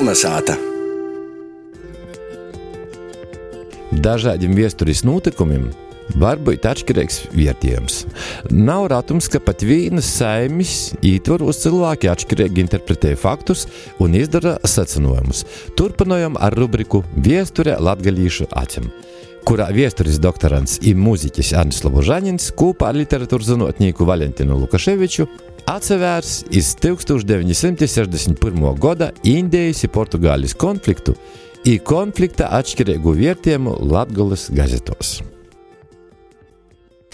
Kolnesāta. Dažādiem viesturis notikumiem var būt atšķirīgs vērtējums. Nav ratums, ka pat vienas saimis ietvaros cilvēki atšķirīgi interpretē faktus un izdara secinājumus. Turpinājam ar rubriku Viesture latgalīšu acim, kurā viesturis doktorants i mūziķis Arnis Lobožanins kopā ar literatūras zinotnieku Valentinu Lukaševiču atsevērs iz 1961. Gada Indijas i Portugālis konfliktu i konflikta atšķirīgu vērtējumu Latgoles gazetos.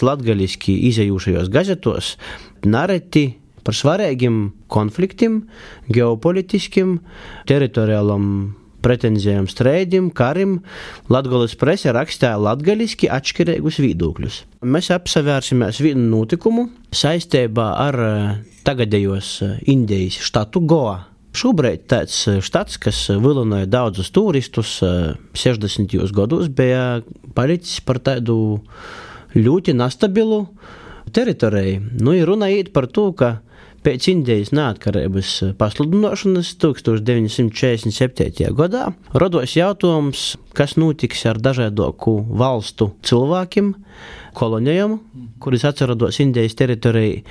Latgaliski izejūšajos gazetos nareti par svarīgiem konfliktiem, geopolitiskiem, teritoriālam pretenzijām strēdim, karim. Latgoles prese rakstāja latgaliski atšķirīgus viedokļus. Mēs apsevērsimies vienu notikumu saistībā ar tagadējos Indijas štatu Goa. Šobrīd tāds štats, kas vilināja daudzus turistus 60. gados, bija palicis par tādu ļoti nestabilu teritoriju. Ir runa iet par to, ka pēc Indijas neatkarības pasludināšanas 1947. gadā rados jautājums, kas notiks ar dažādoku valstu cilvēkiem, kolonijām, kuris atsarados Indijas teritorijā.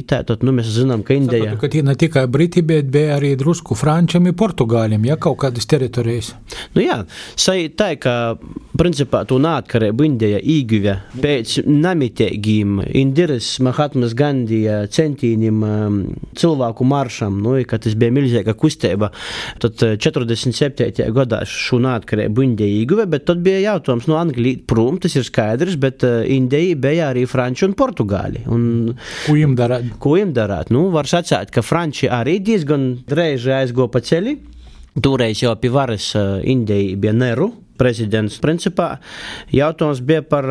Tātad, mēs zinām, ka Indija... Saprotu, ka tie ne tikai Briti, bet bija arī drusku Frančiem un Portugāļiem, kaut kādas teritorijas. Tā, ka principā to neatkarību Indija īguve pēc nemitīgiem Indiras Mahatmas Gandija centīniem cilvēku maršam, ka tas bija milzīga kustība. Tad 47. gadā šo neatkarību Indija īguve, bet tad bija jautājums no Anglija prom, tas ir skaidrs, bet Indija bija arī Franči un Portugāļi. Ko jiem darāt? Var sacēt, ka Franči arī diezgan dreiži aizgo pa ceļi. Toreiz jau pie varas Indija bija Neru prezidents. Principā jautājums bija par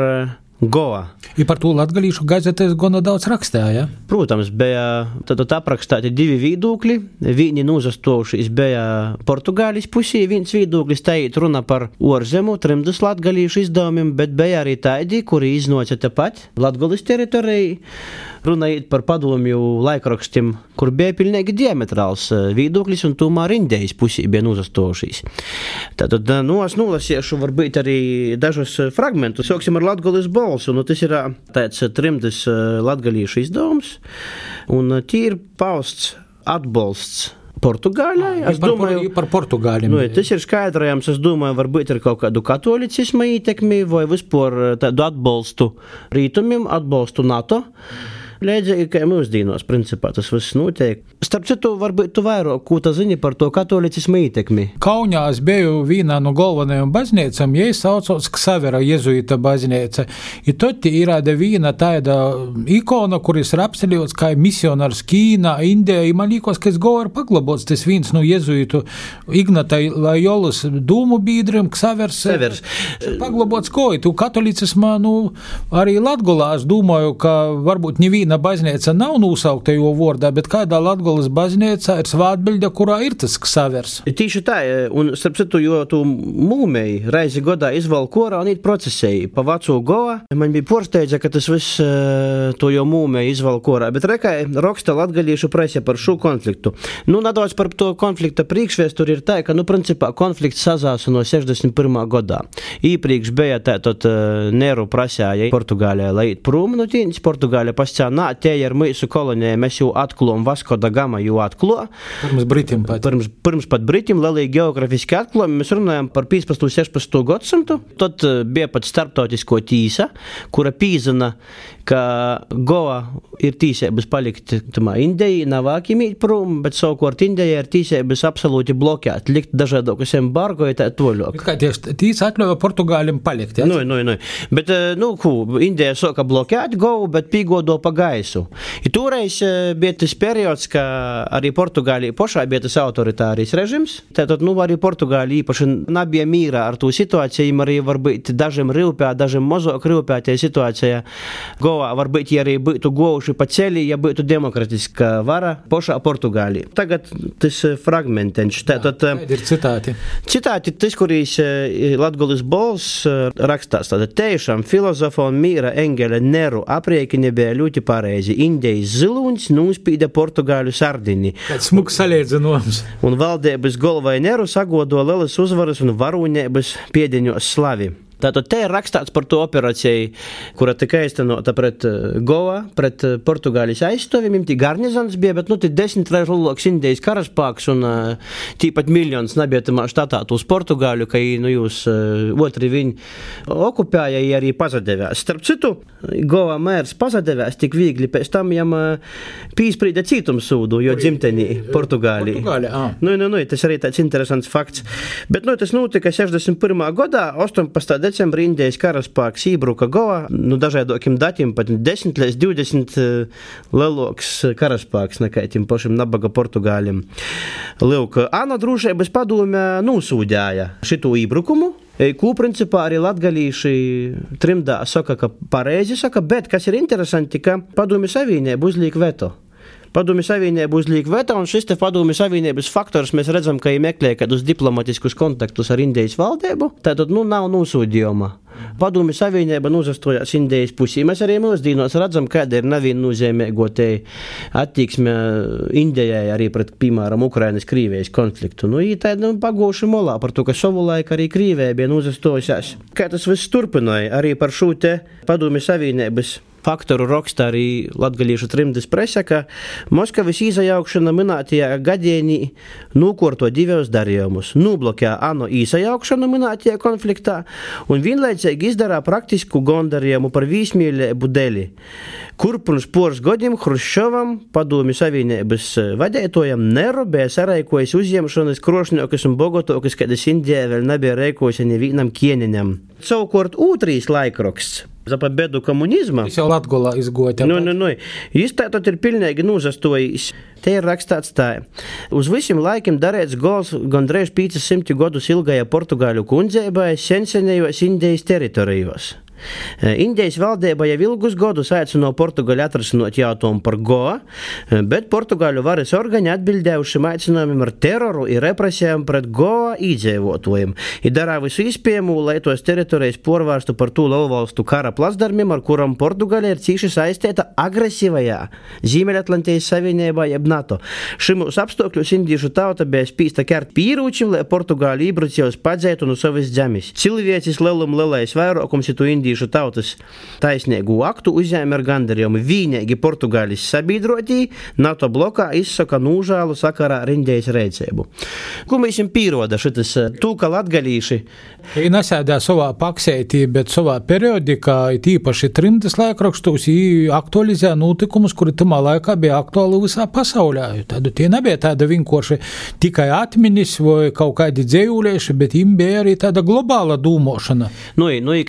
Goa. I par to latgalīšu gazetēs gana daudz rakstāja. Protams, bija tad aprakstāti divi viedokļi. Viņi nozastojušies bija Portugālis pusī, viens viedoklis taiet runa par orzemu, trimdus latgalīšu izdevumiem, bet bija arī tādi, kuri iznāca tepat Latgoles teritorijai. Runājot par padomju laikrakstiem, kur bija pilnīgi diametrāls viedoklis, un tomēr Indijas pusī bija nozastojušies. Tātad, es nolasiešu varbūt arī dažus fragmentus. Sāksim ar Latgoles balsu, tas ir tāds trimdus latgalīšu izdevums, un tie ir pausts atbalsts Portugāļai. Par Portugāļiem. Tas ir skaidrajams, es domāju, varbūt ir kaut kādu katolicisma ietekmi vai vispār tādu atbalstu rītumiem, atbalstu NATO. Līdzīgi, kā mūsdīnos, principā, tas viss notiek. Starp citu, varbūt tu vairāk, ko tu zini par to katolicismu ietekmi? Kaunijā es biju vienā no galvenajām baznīcām, ja es saucos Ksavera jezuita baznīca. I tad ir viena tāda ikona, kuris ir apceļots kā misionārs Kīnā, Indijā. I man liekas, ka es gau ar paglabots tas viens no jezuitu Ignata Loyolas dūmu biedriem, Ksavers. Paglabots ko? Tu katolicismā, arī Latgolā es domāju, ka varbūt neviena baznīca nav nosaukta jo vārdā, bet kādā Latgoles baznīcā ir svātbiļde, kurā ir tas Ksavers. Tīši tā, un starp citu, jo tu mūmei reizi godā izval korā un īt procesēji pa Vacu Goa. Man bija porsteidza, ka tas viss to jau mūmei izval korā, bet rekai raksta latgalīšu prese par šo konfliktu. Nedaudz par to konflikta priekšvēsturi ir tā, ka, principā, konflikts sazāsa no 61. gadā. Īpriekš bija tātad Neru prasēja Portugālijā, lai īt prom no tīņas, Portugālijā pascā tie ir mūsu kolonijai, mēs jau atklājam, Vasko da Gama jau atklāja. Pirms Britim pat. Pirms pat Britim, lielīgi geografiski atklājumi. Mēs runājam par 15. un 16. gadsimtu. Tad bija pat starptautisko tīsa, kura pīzina, ka Goa ir tīsēbas palikt Indijai, nav ākimīt prom, bet savukārt Indijai ir tīsēbas absolūti blokēt, likt dažādokus embargo i tā toļok. Kā tīs atļauja Portugālim palikt, ja? Bet, Indija soka blokēt Govu, bet pīgodo pa gaisu. I toreiz bija tas periods, ka arī Portugālija pošā bija tas autoritārijs režims. Tātad, arī Portugālija īpaši nebija mīrā ar to situāciju, arī varbūt dažiem rūpē, dažiem mazāk rūpē tie situācija. Goa Goa varbūt arī būtu gojuši pa ceļi, ja būtu demokratiska vara pošā Portugālī. Tagad tas fragmentenš. Kādi ir citāti? Citāti, tas, kurīs Latgolis Bols rakstās, tāda tiešām filozofa un mīra Engele Neru apriekini bija ļoti pareizi. Indijas zilūņs nūspīda Portugāļu sardini. Kāds smuks salīdzinājums. Un valdības golvai Neru sagodo lielas uzvaras un varūņības piedeņos slavi. Tātad te ir rakstāts par to operāciju, kura tika īstenota pret Goa, pret Portugāļas aizstāvjumiem. Tī garnizons bija, bet, tī 10 reiz lielāks Indijas karaspēks un tīpat miljons nebija tamā štatā uz Portugāļu, ka jūs otri viņi okupēja i arī pazadevās. Starp citu, Goa mērs pazadevās tik viegli, pēc tam jam pīsprīda cītumsūdu, jo dzimtenī Portugālī. Tas arī tāds interesants fakts. Bet, tas notika 61. gadā, 18. decembrī Indijas karaspēks ībruka Goa, dažādokiem datim, pat 10 līdz 20 lielāks karaspēks nekā tiem pašiem nabaga Portugāļiem. Lūk, ANO drošības padome nosūdēja šitu ībrukumu, kū principā arī latgalīši trimdā saka, ka pareizi saka, bet kas ir interesanti, ka padome savienība uzliek veto. Padomju Savienība uzliek veto, un šis te Padomju Savienības faktors mēs redzam, ka ir meklē kādus diplomatiskus kontaktus ar Indijas valdību, tātad nav nosūdījuma. Padomju Savienība uzastojās Indijas pusī. Mēs arī mūsdīnos redzam, kāda ir neviennozīmīgo te attieksme Indijai arī pret, piemēram, Ukrainas Krīvijas konfliktu. Tāda pagūši molā par to, ka savulaik arī Krīvija bija uzastojās. Kā tas viss turpināja arī par šo te Padomju Savienības faktoru raksta arī latgalīšu trimdas presa, ka Moskavas īsajaukšana minētajā gadienī nūkorto divos darījumus. Nūblokē ANO īsajaukšanu minētajā konfliktā un vienlaicīgi izdarā praktisku gondarījumu par vīsmīlību dēļ, kur pirms poras gadiem Hruščovam, Padomju Savienības vadētojam, Neru bija saraikojis uzņemšanas krošņokas un bogotokas, kādas Indijā vēl nebija reikojusi nevienam kieneņam. Savukārt otrīs laikraksts za победу komunizma. Tas jau Latgolā izgoja. Jis tātad ir pilnīgi nūzastojis. Te ir rakstāts tā. Uz visiem laikiem darēts gols gandrīz 500 gadus ilgajā Portugāļu kundzeibai sensenējos Indijas teritorijos. Indijas valdība jau ilgus gadus aicināja Portugāļu atrasinot jautājumu par Goa, bet Portugāļu varas organi atbildēja šim aicinājumam ar teroru un represijām pret Goa iedzīvotājiem. I darā visu iespējamo, lai tos teritorijas porvārstu par tū lielvalstu kara plasdarmiem, ar kuram Portugāļa ir cīši saistīta agresīvajā Ziemeļatlantijas Savienībā jeb NATO. Šimus apstākļus indiešu tauta bija spīsta kert pīrūčim, lai Portugāļu ībrucējus padzētu no savas zemes. Cilvēcis lielais vairākums itu indiešu tautas taisnīgu aktu uzņēma ar gandarījumu. Vienīgi Portugāļas sabiedrotī NATO blokā izsaka nūžālu sakarā ar Indijas rēcību. Ko mēs jums pīroda šitas tūka latgalīši? Viņi nesēdā savā paksētī, bet savā periodikā, tīpaši trimdas laikrakstos, viņi aktualizē notikumus, kuri tamā laikā bija aktuāli visā pasaulē. Tādu tie nebija tāda vienkārši tikai atminis vai kaut kādi dzējūlieši, bet viņiem bija arī tāda globāla dūmošana.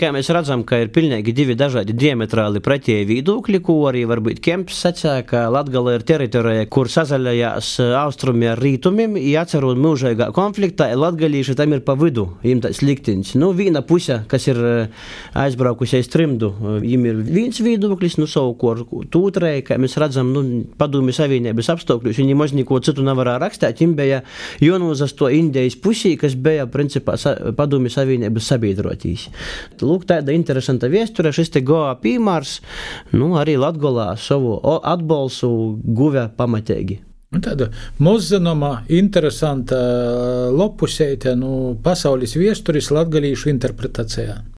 Kā mēs redzam, ka ir pilnīgi divi dažādi diametrāli pretēji viedokļi, ko arī varbūt Kemps sacīja, ka Latgala ir teritorija, kur sazaļajās austrumi ar rītumiem, jāceru un mūžīgā konfliktā, latgalīši tam ir pa vidu, viņiem tāds liktiņš. Viena puse, kas ir aizbraukusies trimdu, viņiem ir viens viedoklis, savukārt otrai, kā mēs redzam, Padomju Savienības apstākļus, viņi maz neko citu nevarā rakstīt, viņiem bija jānozasto Indijas pusī, kas bija, principā, Padomju Savienības sabiedrotīs. Lūk, tāda interesanta viesture, šis te Goa piemērs, arī Latgolā savu atbalstu guve pamatīgi. Tāda mozzanoma, interesanta lopusēte pasaules viesturis latgalīšu interpretācijā.